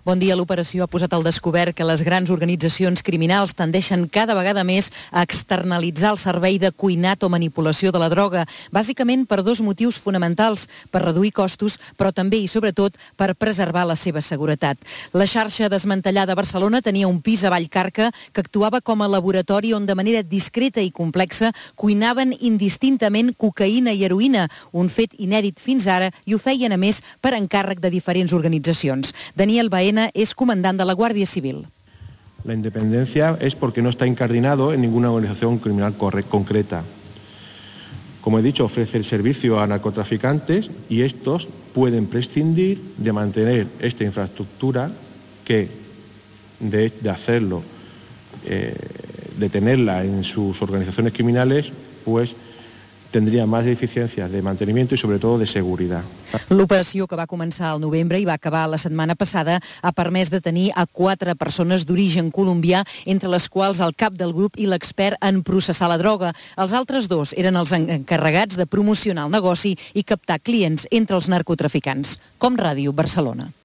Bon dia. L'operació ha posat al descobert que les grans organitzacions criminals tendeixen cada vegada més a externalitzar el servei de cuinat o manipulació de la droga, bàsicament per dos motius fonamentals, per reduir costos, però també i sobretot per preservar la seva seguretat. La xarxa desmantellada a Barcelona tenia un pis a Vallcarca que actuava com a laboratori on de manera discreta i complexa cuinaven indistintament cocaïna i heroïna, un fet inèdit fins ara, i ho feien a més per encàrrec de diferents organitzacions. Daniel Baena es comandant de la Guàrdia Civil. La independencia es porque no está incardinado en ninguna organización criminal concreta. Como he dicho, ofrece el servicio a narcotraficantes y estos pueden prescindir de mantener esta infraestructura que, de hacerlo, de tenerla en sus organizaciones criminales, pues tindria més eficiència de manteniment i sobretot de seguretat. L'operació, que va començar al novembre i va acabar la setmana passada, ha permès detenir a 4 persones d'origen colombià, entre les quals el cap del grup i l'expert en processar la droga. Els altres 2 eren els encarregats de promocionar el negoci i captar clients entre els narcotraficants. Com Ràdio, Barcelona.